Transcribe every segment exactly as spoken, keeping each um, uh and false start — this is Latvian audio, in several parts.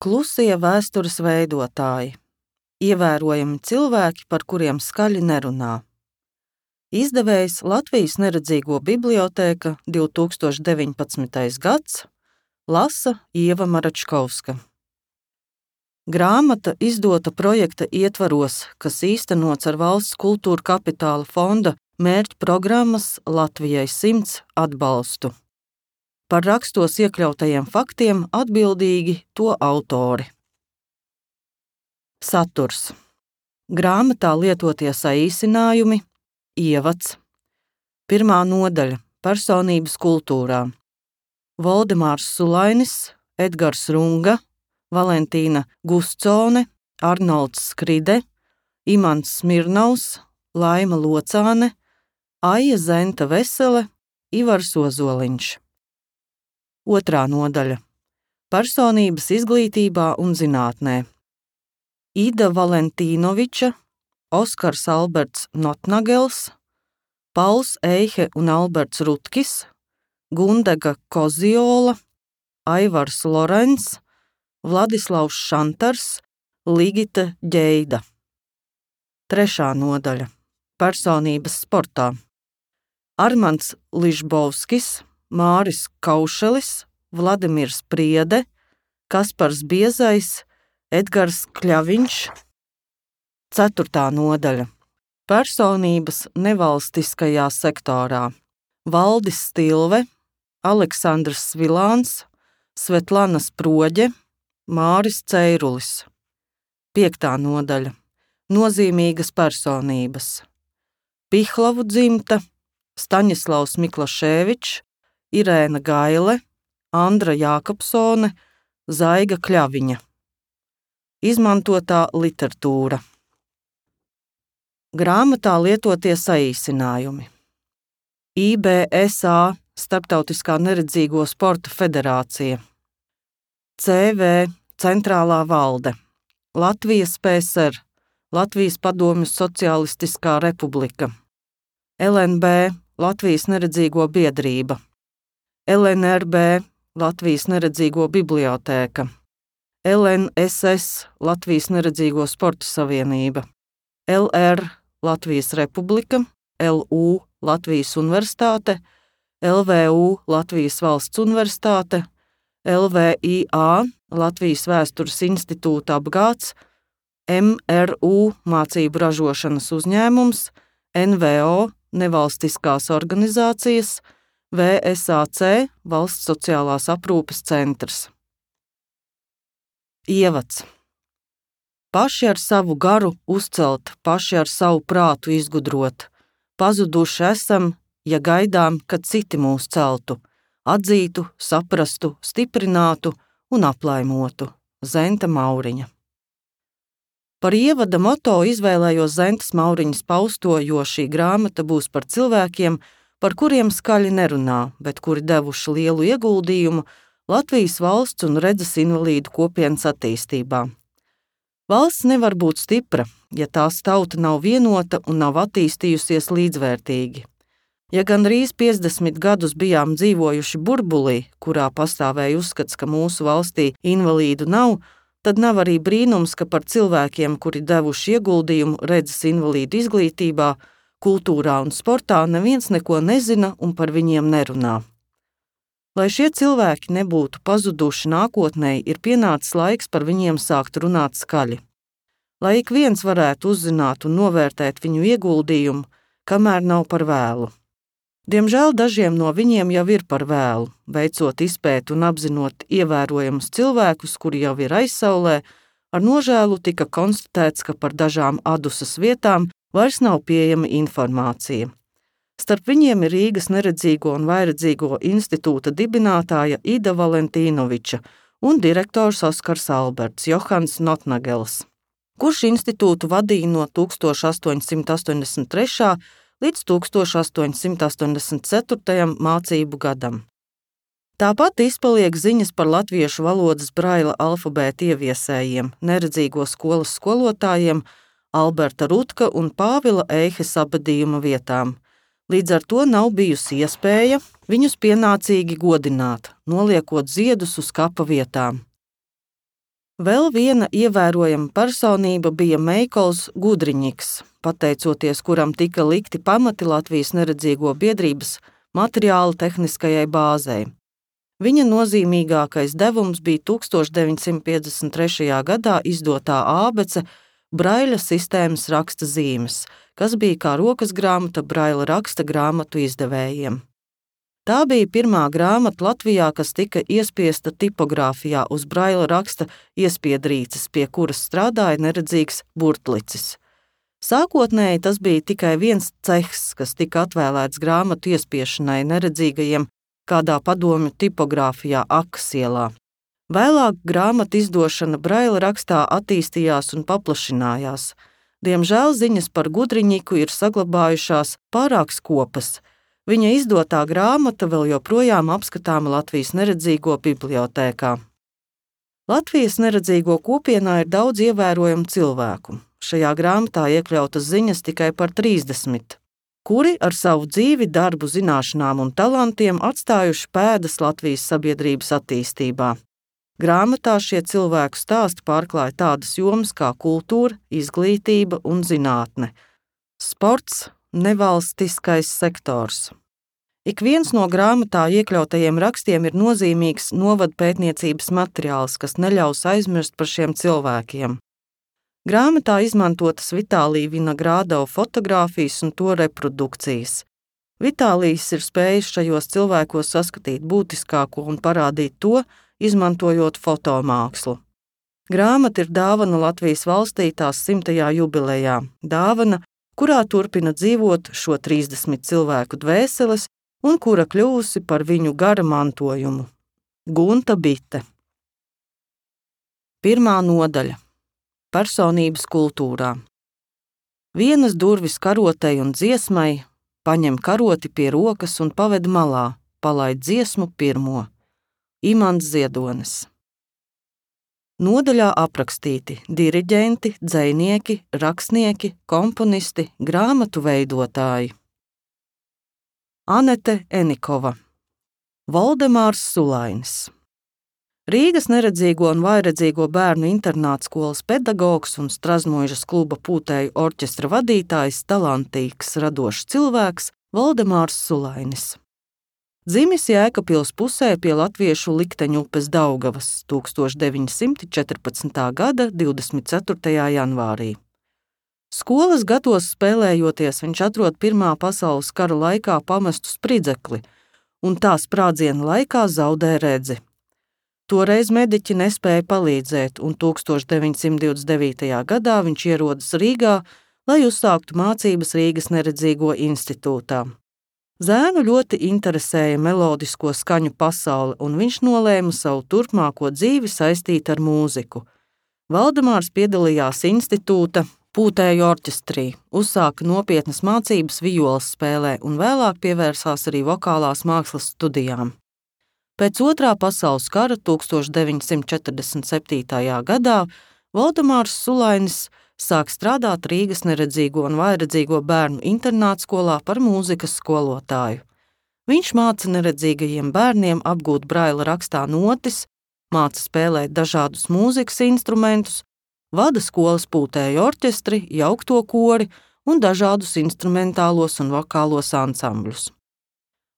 Klusie vēstures veidotāji. Ievērojami cilvēki, par kuriem skaļi nerunā. Izdevējs Latvijas neredzīgo bibliotēka divi tūkstoši deviņpadsmitais gads, lasa Ieva Maračkovska. Grāmata izdota projekta ietvaros, kas īstenots ar Valsts kultūra kapitāla fonda mērķu programmas Latvijai simts atbalstu. Par rakstos iekļautajiem faktiem atbildīgi to autori. Saturs. Grāmatā lietotie saīsinājumi, ievads. Pirmā nodaļa – personības kultūrā. Voldemārs Sulainis, Edgars Runga, Valentīna Guscone, Arnolds Skride, Imants Smirnovs, Laima Locāne, Aija Zenta Vesele, Ivars Ozoliņš. Otrā nodaļa – personības izglītībā un zinātnē. Ida Valentīnoviča, Oskars Alberts Notnagels, Pauls Eihe un Alberts Rutkis, Gundega Koziola, Aivars Lorens, Vladislavs Šantars, Ligita Ģeida. Trešā nodaļa – personības sportā. Armands Ližbovskis, Māris Kaušelis, Vladimirs Priede, Kaspars Biezais, Edgars Kļaviņš. Ceturtā nodaļa – personības nevalstiskajā sektorā. Valdis Stilve, Aleksandrs Svilāns, Svetlana Sproģe, Māris Ceirulis. Piektā nodaļa – nozīmīgas personības. Pihlavu dzimta, Staņislavs Miklaševičs, Irēna Gaile, Andra Jākapsone, Zaiga Kļaviņa. Izmantotā literatūra. Grāmatā lietotie saīsinājumi. I B S A Starptautiskā neredzīgo sporta federācija. C V Centrālā valde. Latvijas P S R, Latvijas Padomju Socialistiskā republika. L N B Latvijas neredzīgo biedrība. L N R B Latvijas neredzīgo bibliotēka. L N S S Latvijas neredzīgo sporta savienība. L R Latvijas republika, L U Latvijas universitāte, L V U Latvijas valsts universitāte, L V I A Latvijas vēstures institūta apgāds, M R U mācību ražošanas uzņēmums, N V O nevalstiskās organizācijas, V S A C Valsts sociālās aprūpes centrs. Ievads. Paši ar savu garu uzcelt, paši ar savu prātu izgudrot. Pazuduši esam, ja gaidām, kad citi mūs celtu, atzītu, saprastu, stiprinātu un aplaimotu. Zenta Mauriņa. Par ievada moto izvēlējos Zentas Mauriņas pausto, jo šī grāmata būs par cilvēkiem, par kuriem skaļi nerunā, bet kuri devuši lielu ieguldījumu Latvijas valsts un redzes invalīdu kopienas attīstībā. Valsts nevar būt stipra, ja tās tauta nav vienota un nav attīstījusies līdzvērtīgi. Ja gandrīz piecdesmit gadus bijām dzīvojuši burbulī, kurā pastāvēja uzskats, ka mūsu valstī invalīdu nav, tad nav arī brīnums, ka par cilvēkiem, kuri devuši ieguldījumu redzes invalīdu izglītībā, kultūrā un sportā neviens neko nezina un par viņiem nerunā. Lai šie cilvēki nebūtu pazuduši nākotnē, ir pienācis laiks par viņiem sākt runāt skaļi. Lai ik viens varētu uzzināt un novērtēt viņu ieguldījumu, kamēr nav par vēlu. Diemžēl dažiem no viņiem jau ir par vēlu, veicot izpēti un apzinot ievērojamus cilvēkus, kuri jau ir aizsaulē, ar nožēlu tika konstatēts, ka par dažām adusas vietām vairs nav pieejama informācija. Starp viņiem ir Rīgas neredzīgo un vairedzīgo institūta dibinātāja Ida Valentīnoviča un direktors Oskars Alberts Johans Notnagels, kurš institūtu vadīja no tūkstoš astoņsimt astoņdesmit trešā līdz tūkstoš astoņsimt astoņdesmit ceturtajam mācību gadam. Tāpat izpaliek ziņas par latviešu valodas braila alfabēta ieviesējiem, neredzīgo skolas skolotājiem, Alberta Rutka un Pāvila Eihes abadījuma vietām. Līdz ar to nav bijusi iespēja viņus pienācīgi godināt, noliekot ziedus uz kapa vietām. Vēl viena ievērojama personība bija Meikols Gudriņiks, pateicoties kuram tika likti pamati Latvijas neredzīgo biedrības materiāla tehniskajai bāzei. Viņa nozīmīgākais devums bija tūkstoš deviņsimt piecdesmit trešajā gadā izdotā ābece Braila sistēmas raksta zīmes, kas bija kā rokas grāmata Braila raksta grāmatu izdevējiem. Tā bija pirmā grāmata Latvijā, kas tika iespiesta tipogrāfijā uz Braila raksta iespiedrīces, pie kuras strādāja neredzīgs burtlicis. Sākotnēji tas bija tikai viens cehs, kas tika atvēlēts grāmatu iespiešanai neredzīgajiem kādā padomju tipogrāfijā Akas ielā. Vēlāk grāmatu izdošana Braila rakstā attīstījās un paplašinājās. Diemžēl ziņas par Gudriņiku ir saglabājušās pārāk skopas. Viņa izdotā grāmata vēl joprojām apskatāma Latvijas neredzīgo bibliotēkā. Latvijas neredzīgo kopienā ir daudz ievērojamu cilvēku. Šajā grāmatā iekļautas ziņas tikai par trīsdesmit, kuri ar savu dzīvi, darbu, zināšanām un talantiem atstājuši pēdas Latvijas sabiedrības attīstībā. Grāmatā šie cilvēku stāsti pārklāja tādas jomas kā kultūra, izglītība un zinātne, sports, nevalstiskais sektors. Ik viens no grāmatā iekļautajiem rakstiem ir nozīmīgs novadpētniecības materiāls, kas neļaus aizmirst par šiem cilvēkiem. Grāmatā izmantotas Vitālija Vinagrādova fotogrāfijas un to reprodukcijas. Vitālijs ir spējis šajos cilvēkos saskatīt būtiskāko un parādīt to, izmantojot fotomākslu. Grāmata ir dāvana Latvijas valstī tās simtajā jubilejā, dāvana, kurā turpina dzīvot šo trīsdesmit cilvēku dvēseles un kura kļuvusi par viņu gara mantojumu. Gunta Bite. Pirmā nodaļa. Personības kultūrā. Vienas durvis karotei un dziesmai, paņem karoti pie rokas un paved malā, palaid dziesmu pirmo. Imants Ziedonis. Nodaļā aprakstīti diriģenti, dzejnieki, rakstnieki, komponisti, grāmatu veidotāji. Anete Enikova. Voldemārs Sulainis. Rīgas neredzīgo un vājredzīgo bērnu internātskolas pedagogs un Strazmuižas kluba pūtēju orķestra vadītājs, talantīgs, radošs cilvēks Voldemārs Sulainis. Dzimis Jēkabpils pusē pie latviešu likteņu upes Daugavas tūkstoš deviņi simti četrpadsmitā gada divdesmit ceturtajā janvārī. Skolas gados spēlējoties viņš atrod Pirmā pasaules kara laikā pamestu spridzekli un tā sprādziena laikā zaudē redzi. Toreiz mediķi nespēja palīdzēt, un tūkstoš deviņi simti divdesmit devītajā gadā viņš ierodas Rīgā, lai uzsāktu mācības Rīgas neredzīgo institūtā. Zēnu ļoti interesēja melodisko skaņu pasaule, un viņš nolēma savu turpmāko dzīvi saistīt ar mūziku. Valdemārs piedalījās institūta pūtēju orķestrī, uzsāka nopietnas mācības violas spēlē un vēlāk pievērsās arī vokālās mākslas studijām. Pēc Otrā pasaules kara tūkstoš deviņi simti četrdesmit septītajā gadā Voldemārs Sulainis sāk strādāt Rīgas neredzīgo un vājredzīgo bērnu internātskolā par mūzikas skolotāju. Viņš māca neredzīgajiem bērniem apgūt Braila rakstā notis, māca spēlēt dažādus mūzikas instrumentus, vada skolas pūtēju orķestri, jaukto kori un dažādus instrumentālos un vokālos ansambļus.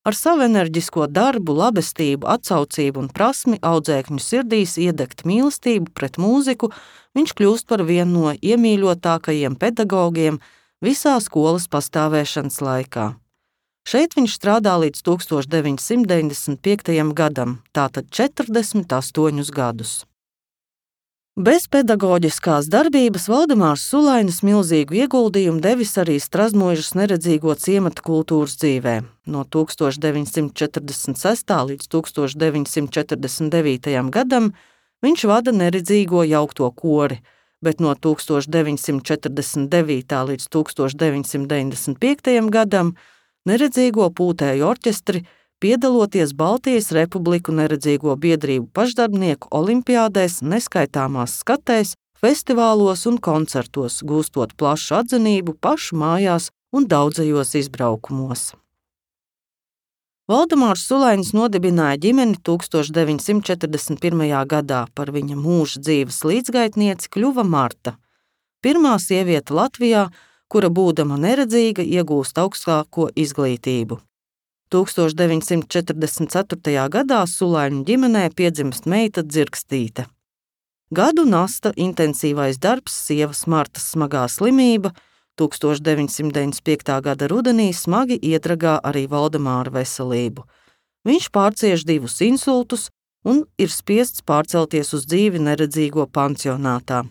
Ar savu enerģisko darbu, labestību, atsaucību un prasmi audzēkņu sirdīs iedegt mīlestību pret mūziku, viņš kļūst par vienu no iemīļotākajiem pedagogiem visā skolas pastāvēšanas laikā. Šeit viņš strādā līdz tūkstoš deviņi simti deviņdesmit piektajam gadam, tātad četrdesmit astoņus gadus. Bez pedagoģiskās darbības Voldemārs Sulainis milzīgu ieguldījumu devis arī Strazmuižas neredzīgo ciemata kultūras dzīvē. No tūkstoš deviņi simti četrdesmit sestā līdz tūkstoš deviņi simti četrdesmit devītajam gadam viņš vada neredzīgo jaukto kori, bet no tūkstoš deviņi simti četrdesmit devītā līdz tūkstoš deviņi simti deviņdesmit piektajam gadam neredzīgo pūtēju orķestri, piedaloties Baltijas Republiku neredzīgo biedrību pašdarbnieku olimpiādēs, neskaitāmās skatēs, festivālos un koncertos, gūstot plašu atzinību pašu mājās un daudzajos izbraukumos. Valdemārs Sulainis nodibināja ģimeni tūkstoš deviņsimt četrdesmit pirmajā gadā, par viņa mūža dzīves līdzgaitnieci kļuva Marta, pirmā sieviete Latvijā, kura būdama neredzīga iegūst augstāko izglītību. tūkstoš deviņsimt četrdesmit ceturtajā gadā Sulaiņu ģimenē piedzimst meita Dzirkstīte. Gadu nasta intensīvais darbs, sievas Martas smagā slimība, tūkstoš deviņsimt deviņdesmit piektajā gada rudenī smagi iedragā arī Valdemāra veselību. Viņš pārcieš divus insultus un ir spiests pārcelties uz dzīvi neredzīgo pansionātā.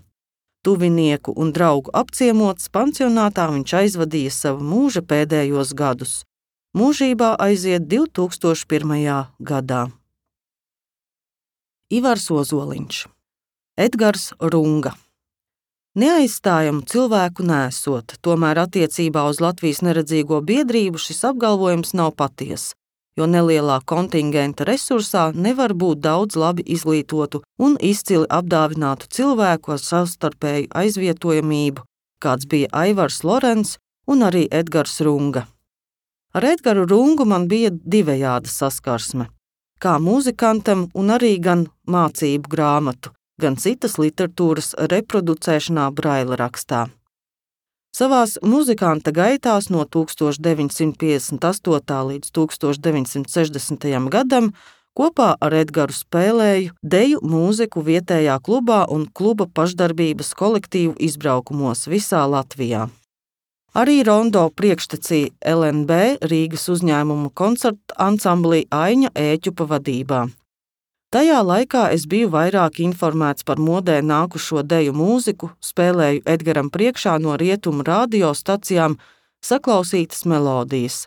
Tuvinieku un draugu apciemots pansionātā viņš aizvadīja savu mūža pēdējos gadus. Mūžībā aiziet divtūkstoš pirmajā gadā. Ivars Ozoliņš, Edgars Runga. Neaizstājamu cilvēku nesot, tomēr attiecībā uz Latvijas neredzīgo biedrību šis apgalvojums nav patiess, jo nelielā kontingenta resursā nevar būt daudz labi izglītotu un izcili apdāvinātu cilvēku ar savstarpēju aizvietojamību, kāds bija Aivars Lorents un arī Edgars Runga. Ar Edgaru Rungu man bija divējāda saskarsme, kā mūzikantam un arī gan mācību grāmatu, gan citas literatūras reproducēšanā braila rakstā. Savās muzikanta gaitās no tūkstoš deviņsimt piecdesmit astotajā līdz tūkstoš deviņsimt sešdesmitajam gadam kopā ar Edgaru spēlēju deju mūziku vietējā klubā un kluba pašdarbības kolektīvu izbraukumos visā Latvijā. Arī rondo priekštecī L N B Rīgas uzņēmumu koncertu ansamblī Aiņa Ēķupa vadībā. Tajā laikā es biju vairāk informēts par modē nākušo deju mūziku, spēlēju Edgaram priekšā no rietumu radiostacijām saklausītas melodijas.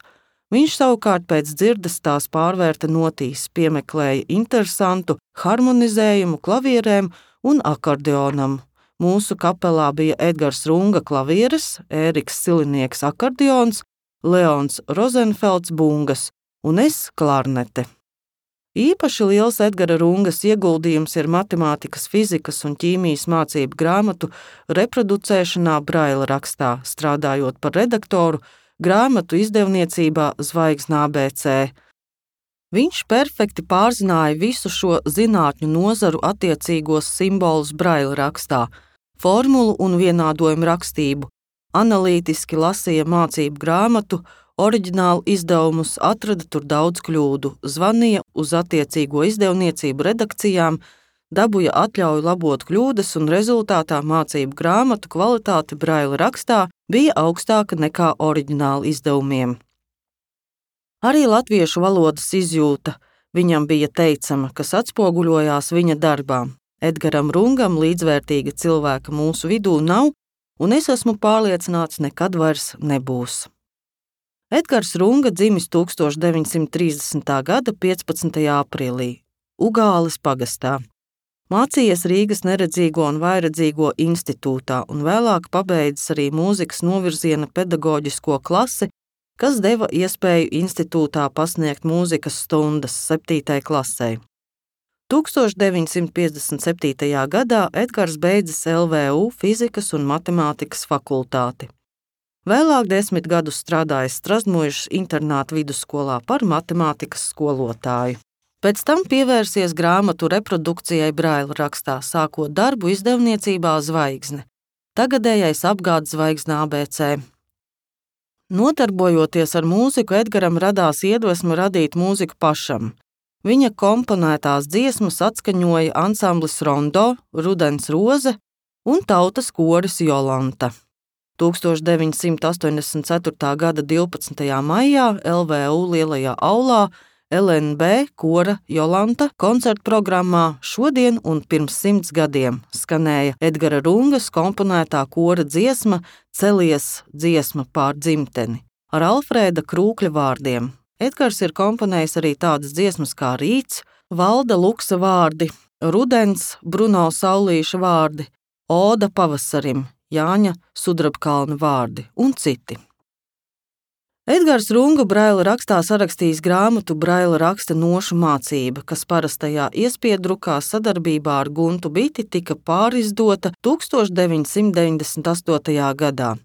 Viņš savukārt pēc dzirdes tās pārvērta notīs, piemeklēja interesantu harmonizējumu klavierēm un akordeonam. Mūsu kapelā bija Edgars Runga klavieres, Ēriks Silinieks akordeons, Leons Rozenfelds bungas un es klarnete. Īpaši liels Edgara Rungas ieguldījums ir matemātikas, fizikas un ķīmijas mācību grāmatu reproducēšanā braila rakstā, strādājot par redaktoru grāmatu izdevniecībā Zvaigzne A B C. Viņš perfekti pārzināja visu šo zinātņu nozaru attiecīgos simbolus braila rakstā, formulu un vienādojumu rakstību, analītiski lasīja mācību grāmatu, oriģinālu izdevumus, atrada tur daudz kļūdu, zvanīja uz attiecīgo izdevniecību redakcijām, dabūja atļauju labot kļūdas un rezultātā mācību grāmatu kvalitāte braila rakstā bija augstāka nekā oriģināla izdevumiem. Arī latviešu valodas izjūta viņam bija teicama, kas atspoguļojās viņa darbā. Edgaram Rungam līdzvērtīga cilvēka mūsu vidū nav, un es esmu pārliecināts, nekad vairs nebūs. Edgars Runga dzimis tūkstoš deviņsimt trīsdesmitā gada piecpadsmitajā aprīlī, Ugāles pagastā. Mācījies Rīgas neredzīgo un vājredzīgo institūtā un vēlāk pabeidzis arī mūzikas novirziena pedagoģisko klasi, kas deva iespēju institūtā pasniegt mūzikas stundas septītai klasei. tūkstoš deviņsimt piecdesmit septītajā gadā Edgars beidzis L V U fizikas un matemātikas fakultāti. Vēlāk desmit gadus strādājis Strazdmuižas internāta vidusskolā par matemātikas skolotāju. Pēc tam pievērsies grāmatu reprodukcijai braila rakstā, sākot darbu izdevniecībā Zvaigzne, tagadējais apgādes Zvaigzne A B C. Nodarbojoties ar mūziku, Edgaram radās iedvesma radīt mūziku pašam. Viņa komponētās dziesmas atskaņoja ansamblis Rondo, Rudens Roze un tautas koris Jolanta. tūkstoš deviņsimt astoņdesmit ceturtā gada divpadsmitajā maijā L V U lielajā aulā L N B kora Jolanta koncertu programmā Šodien un pirms simts gadiem skanēja Edgara Rungas komponētā kora dziesma Celies dziesma pār dzimteni ar Alfrēda Krūkļa vārdiem. Edgars ir komponējis arī tādas dziesmas kā Rīts, Valda Luksa vārdi, Rudens, Bruno Saulīša vārdi, Oda pavasarim, Jāņa Sudrabkalna vārdi un citi. Edgars Runga braila rakstā sarakstījis grāmatu Braila raksta nošu mācība, kas parastajā iespiedrukā sadarbībā ar Guntu Biti tika pārizdota tūkstoš deviņsimt deviņdesmit astotajā gadā.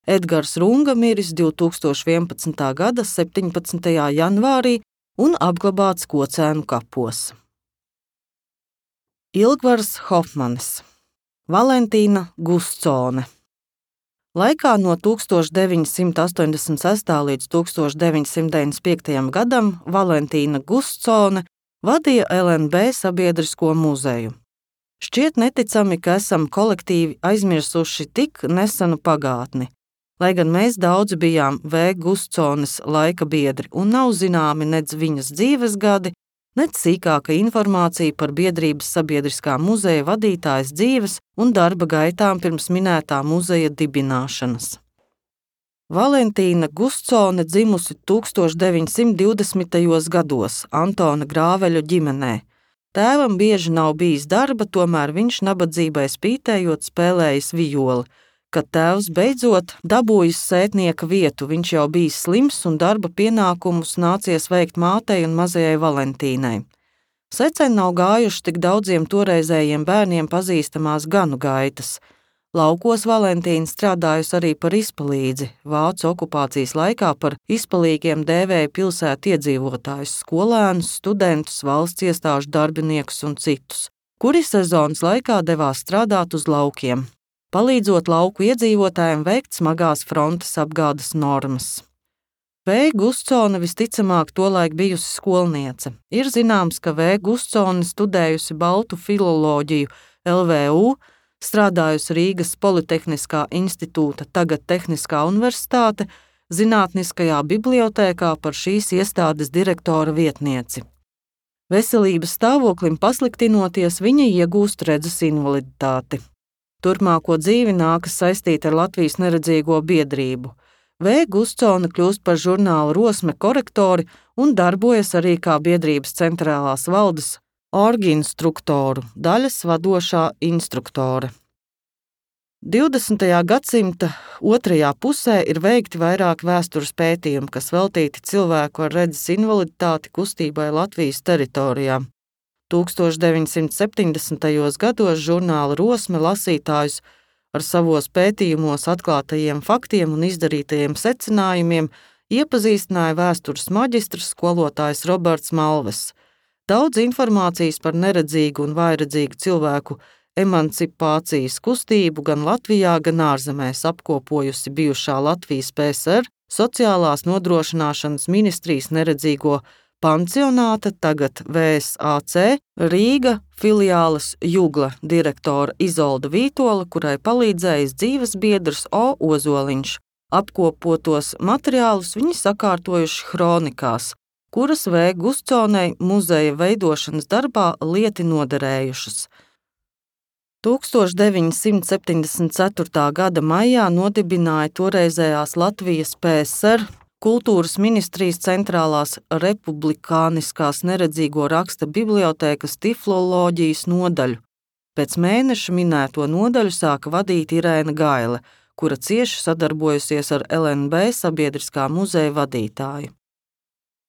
Edgars Runga miris divtūkstoš vienpadsmitā gada septiņpadsmitajā janvārī un apglabāts Kocēnu kapos. Ilgvars Hofmanis, Valentīna Gustsone. Laikā no tūkstoš deviņi simti astoņdesmit sestā līdz tūkstoš deviņi simti deviņdesmit piektajam gadam Valentīna Gustsone vadīja L N B sabiedrisko muzeju. Šķiet neticami, ka esam kolektīvi aizmirsuši tik nesenu pagātni, lai gan mēs daudzi bijām V. Gustsones laika biedri un nav zināmi nec viņas dzīves gadi, nec sīkāka informācija par biedrības sabiedriskā muzeja vadītājas dzīves un darba gaitām pirms minētā muzeja dibināšanas. Valentīna Gustsone dzimusi tūkstoš deviņi simti divdesmitajos gados Antona Grāveļu ģimenē. Tēvam bieži nav bijis darba, tomēr viņš nabadzībai spītējot spēlējis vijoli. Kad tēvs beidzot dabūjis sētnieka vietu, viņš jau bijis slims un darba pienākumus nācies veikt mātei un mazajai Valentīnai. Secen nav gājuši tik daudziem toreizējiem bērniem pazīstamās ganu gaitas. Laukos Valentīna strādājusi arī par izpalīdzi. Vācu okupācijas laikā par izpalīgiem dēvēja pilsētu iedzīvotājus, skolēnus, studentus, valsts iestāžu darbiniekus un citus, kuri sezonas laikā devās strādāt uz laukiem, palīdzot lauku iedzīvotājiem veikt smagās frontes apgādes normas. V. Gustsone visticamāk tolaik bijusi skolniece. Ir zināms, ka V. Gustsone studējusi baltu filoloģiju L V U, strādājusi Rīgas Politehniskā institūta, tagad Tehniskā universitāte, zinātniskajā bibliotēkā par šīs iestādes direktora vietnieci. Veselības stāvoklim pasliktinoties, viņa iegūst redzes invaliditāti. Turpmāko dzīvi nākas saistīt ar Latvijas neredzīgo biedrību. V. Gustsone kļūst par žurnāla Rosme korektori un darbojas arī kā biedrības centrālās valdes orginstruktoru, daļas vadošā instruktore. divdesmitajā gadsimta otrajā pusē ir veikti vairāk vēstures pētījumi, kas veltīti cilvēku ar redzes invaliditāti kustībai Latvijas teritorijā. tūkstoš deviņi simti septiņdesmitajos gados žurnāla Rosme lasītājus ar savos pētījumos atklātajiem faktiem un izdarītajiem secinājumiem iepazīstināja vēstures maģistrs skolotājs Roberts Malves. Daudz informācijas par neredzīgu un vājredzīgu cilvēku emancipācijas kustību gan Latvijā, gan ārzemēs apkopojusi bijušā Latvijas P S R Sociālās nodrošināšanas ministrijas neredzīgo pansionāta, tagad V S A C, Rīga filiāles Jugla direktora Izolda Vītola, kurai palīdzējis dzīves biedrs O. Ozoliņš. Apkopotos materiālus viņi sakārtojuši hronikās, kuras V. Gustsonei muzeja veidošanas darbā lieti noderējušas. tūkstoš deviņi simti septiņdesmit ceturtā gada maijā nodibināja toreizējās Latvijas P S R Kultūras ministrijas centrālās republikāniskās neredzīgo raksta bibliotēkas tifloloģijas nodaļu. Pēc mēneša minēto nodaļu sāka vadīt Irēna Gaile, kura cieši sadarbojusies ar L N B sabiedriskā muzeja vadītāju.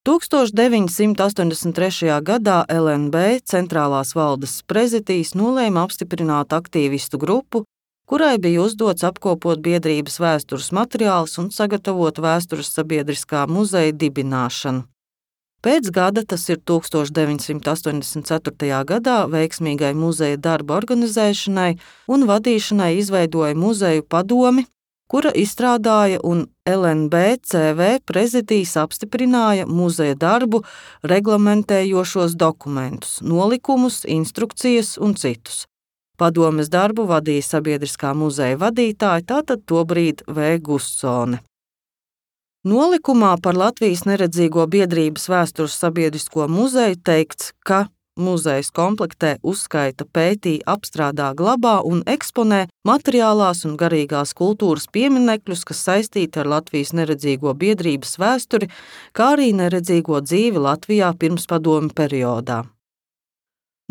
tūkstoš deviņi simti astoņdesmit trešajā gadā L N B centrālās valdes prezidijs nolēma apstiprināt aktīvistu grupu, kurai bija uzdots apkopot biedrības vēstures materiālus un sagatavot vēstures sabiedriskā muzeja dibināšanu. Pēc gada, tas ir tūkstoš deviņi simti astoņdesmit ceturtajā gadā, veiksmīgai muzeja darba organizēšanai un vadīšanai izveidoja muzeju padomi, kura izstrādāja un L N B C V prezidijs apstiprināja muzeja darbu reglamentējošos dokumentus, nolikumus, instrukcijas un citus. Padomes darbu vadīja sabiedriskā muzeja vadītāja, tātad tobrīd V. Gustsone. Nolikumā par Latvijas neredzīgo biedrības vēstures sabiedrisko muzeju teikts, ka muzejs komplektē, uzskaita, pētī, apstrādā, glabā un eksponē materiālās un garīgās kultūras pieminekļus, kas saistīti ar Latvijas neredzīgo biedrības vēsturi, kā arī neredzīgo dzīvi Latvijā pirmspadomju periodā.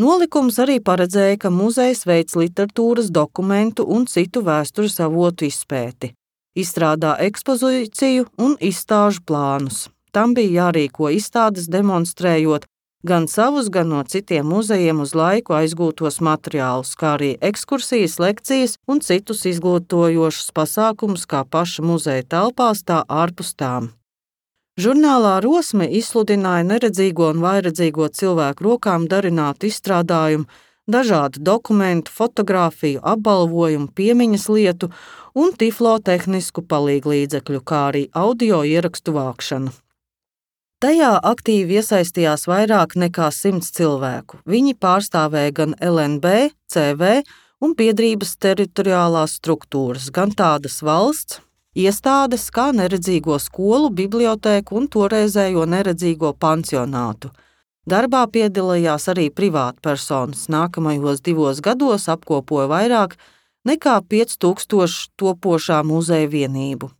Nolikums arī paredzēja, ka muzejs veic literatūras, dokumentu un citu vēstures avotu izpēti, izstrādā ekspozīciju un izstāžu plānus. Tam bija jārīko izstādes demonstrējot gan savus, gan no citiem muzejiem uz laiku aizgūtos materiālus, kā arī ekskursijas, lekcijas un citus izglītojošus pasākumus kā paša muzeja telpās, tā ārpus tām. Žurnālā Rosme izsludināja neredzīgo un vājredzīgo cilvēku rokām darinātu izstrādājumu, dažādu dokumentu, fotogrāfiju, apbalvojumu, piemiņas lietu un tiflotehnisku palīglīdzekļu, kā arī audio ierakstu vākšanu. Tajā aktīvi iesaistījās vairāk nekā simts cilvēku. Viņi pārstāvēja gan L N B, C V un biedrības teritoriālās struktūras, gan tādas valsts iestādes kā neredzīgo skolu, bibliotēku un toreizējo neredzīgo pansionātu. Darbā piedalījās arī privātpersonas. Nākamajos divos gados apkopoja vairāk nekā pieci tūkstoši topošā muzeja vienību.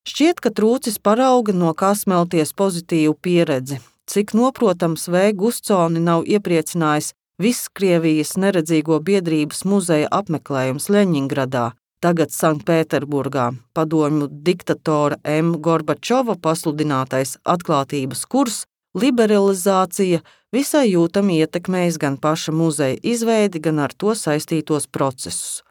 Šķiet, ka trūcis parauga, no kā smelties pozitīvu pieredzi. Cik noprotams, V. Gustsoni nav iepriecinājis viss Krievijas neredzīgo biedrības muzeja apmeklējums Ļeņingradā, tagad Sanktpēterburgā, padomju diktatora M. Gorbačova pasludinātais atklātības kurs, liberalizācija visai jūtami ietekmējis gan paša muzeja izveidi, gan ar to saistītos procesus.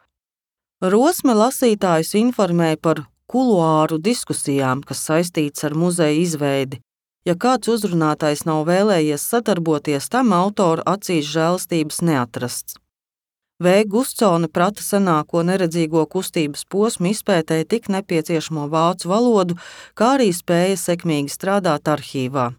Rosme lasītājus informēja par kuluāru diskusijām, kas saistīts ar muzeja izveidi. Ja kāds uzrunātais nav vēlējies sadarboties, tam autora acīs žēlastības neatrasts. V. Gustsone prata senāko neredzīgo kustības posmu izpētēja tik nepieciešamo vācu valodu, kā arī spēja sekmīgi strādāt arhīvā.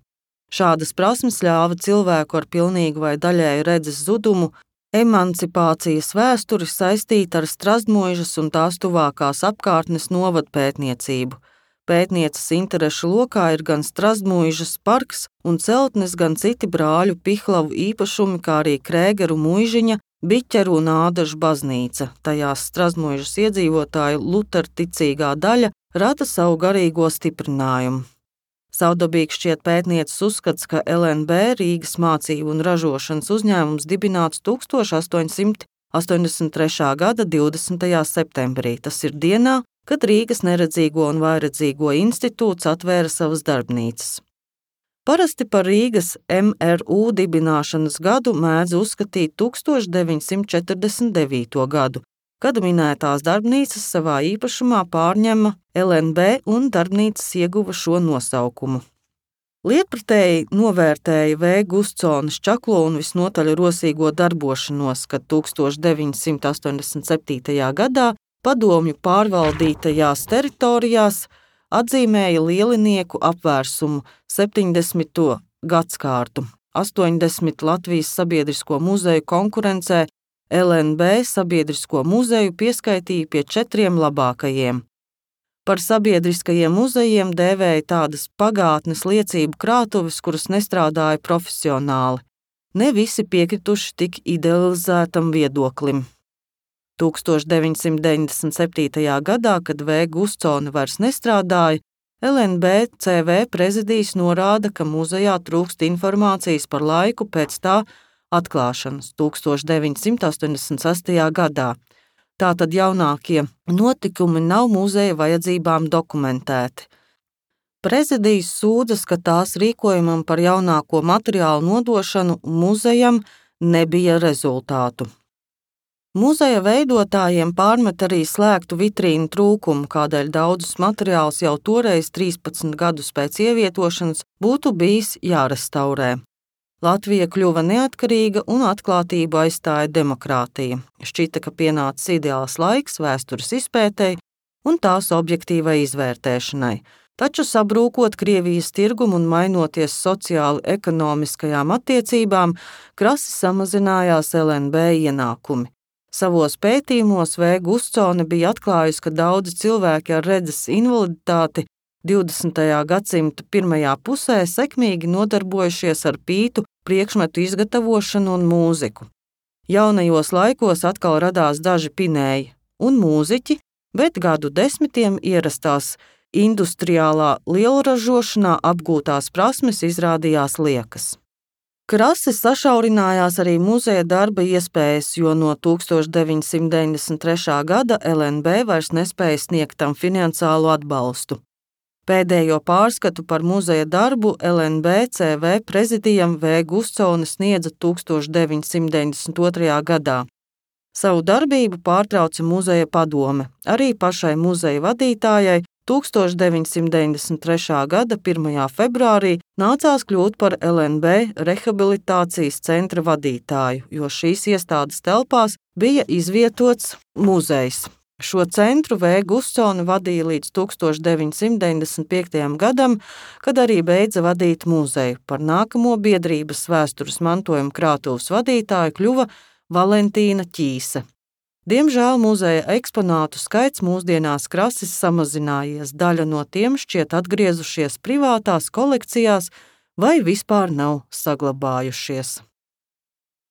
Šādas prasmes ļāva cilvēku ar pilnīgu vai daļēju redzes zudumu emancipācijas vēsturi saistīt ar Strazdmuižas un tās tuvākās apkārtnes novadpētniecību. Pētnieces interešu lokā ir gan Strazdmuižas parks un celtnes, gan citi brāļu Pihlavu īpašumi, kā arī Krēgeru muižiņa, Biķeru un Ādažu baznīca. Tajās Strazdmuižas iedzīvotāju luterticīgā daļa rada savu garīgo stiprinājumu. Saudabīgs šķiet pētnieces uzskats, ka L N B Rīgas mācību un ražošanas uzņēmums dibināts tūkstoš astoņsimt astoņdesmit trešā gada divdesmitajā septembrī. Tas ir dienā, kad Rīgas neredzīgo un vājredzīgo institūts atvēra savas darbnīcas. Parasti par Rīgas M R U dibināšanas gadu mēdz uzskatīt tūkstoš deviņsimt četrdesmit devīto gadu, kad minētās darbnīcas savā īpašumā pārņema L N B un darbnīcas ieguva šo nosaukumu. Lietpratēji novērtēja V. Gustsones čaklo un visnotaļ rosīgo darbošanos, kad tūkstoš deviņsimt astoņdesmit septītajā gadā padomju pārvaldītajās teritorijās atzīmēja lielinieku apvērsumu septiņdesmito gadskārtu. astoņdesmit Latvijas sabiedrisko muzeju konkurencē L N B sabiedrisko muzeju pieskaitīja pie četriem labākajiem. Par sabiedriskajiem muzejiem dēvēja tādas pagātnes liecību krātuves, kuras nestrādāja profesionāli. Ne visi piekrituši tik idealizētam viedoklim. tūkstoš deviņsimt deviņdesmit septītajā gadā, kad V. Gustsone vairs nestrādāja, L N B C V prezidijs norāda, ka muzejā trūkst informācijas par laiku pēc tā atklāšanas tūkstoš deviņsimt astoņdesmit sestajā gadā. Tātad jaunākie notikumi nav muzeja vajadzībām dokumentēti. Prezidijs sūdzas, ka tās rīkojumam par jaunāko materiālu nodošanu muzejam nebija rezultātu. Muzeja veidotājiem pārmet arī slēgtu vitrīnu trūkumu, kādēļ daudzus materiālus jau toreiz trīspadsmit gadus pēc ievietošanas būtu bijis jārestaurē. Latvija kļuva neatkarīga un atklātību aizstāja demokrātija. Šķita, ka pienācis ideāls laiks vēstures izpētei un tās objektīvai izvērtēšanai. Taču sabrūkot Krievijas tirgumu un mainoties sociāli ekonomiskajām attiecībām, krasi samazinājās L N B ienākumi. Savos pētījumos V. Gustsone bija atklājusi, ka daudzi cilvēki ar redzes invaliditāti divdesmitajā gadsimta pirmajā pusē sekmīgi nodarbojušies ar pītu priekšmetu izgatavošanu un mūziku. Jaunajos laikos atkal radās daži pinēji un mūziķi, bet gadu desmitiem ierastās industriālā lielražošanā apgūtās prasmes izrādījās liekas. Krasi sašaurinājās arī muzeja darba iespējas, jo no tūkstoš deviņsimt deviņdesmit trešā gada L N B vairs nespēja sniegt tam finansiālu atbalstu. Pēdējo pārskatu par muzeja darbu L N B C V prezidijam V. Gustsone sniedza tūkstoš deviņsimt deviņdesmit otrajā gadā. Savu darbību pārtrauca muzeja padome. Arī pašai muzeja vadītājai tūkstoš deviņsimt deviņdesmit trešā gada pirmajā februārī nācās kļūt par L N B rehabilitācijas centra vadītāju, jo šīs iestādes telpās bija izvietots muzejs. Šo centru V. Gussone vadīja līdz tūkstoš deviņsimt deviņdesmit piektajam gadam, kad arī beidza vadīt muzeju. Par nākamo biedrības vēstures mantojuma krātuves vadītāju kļuva Valentīna Ķīse. Diemžēl muzeja eksponātu skaits mūsdienās krasi samazinājies, daļa no tiem šķiet atgriezušies privātās kolekcijās vai vispār nav saglabājušies.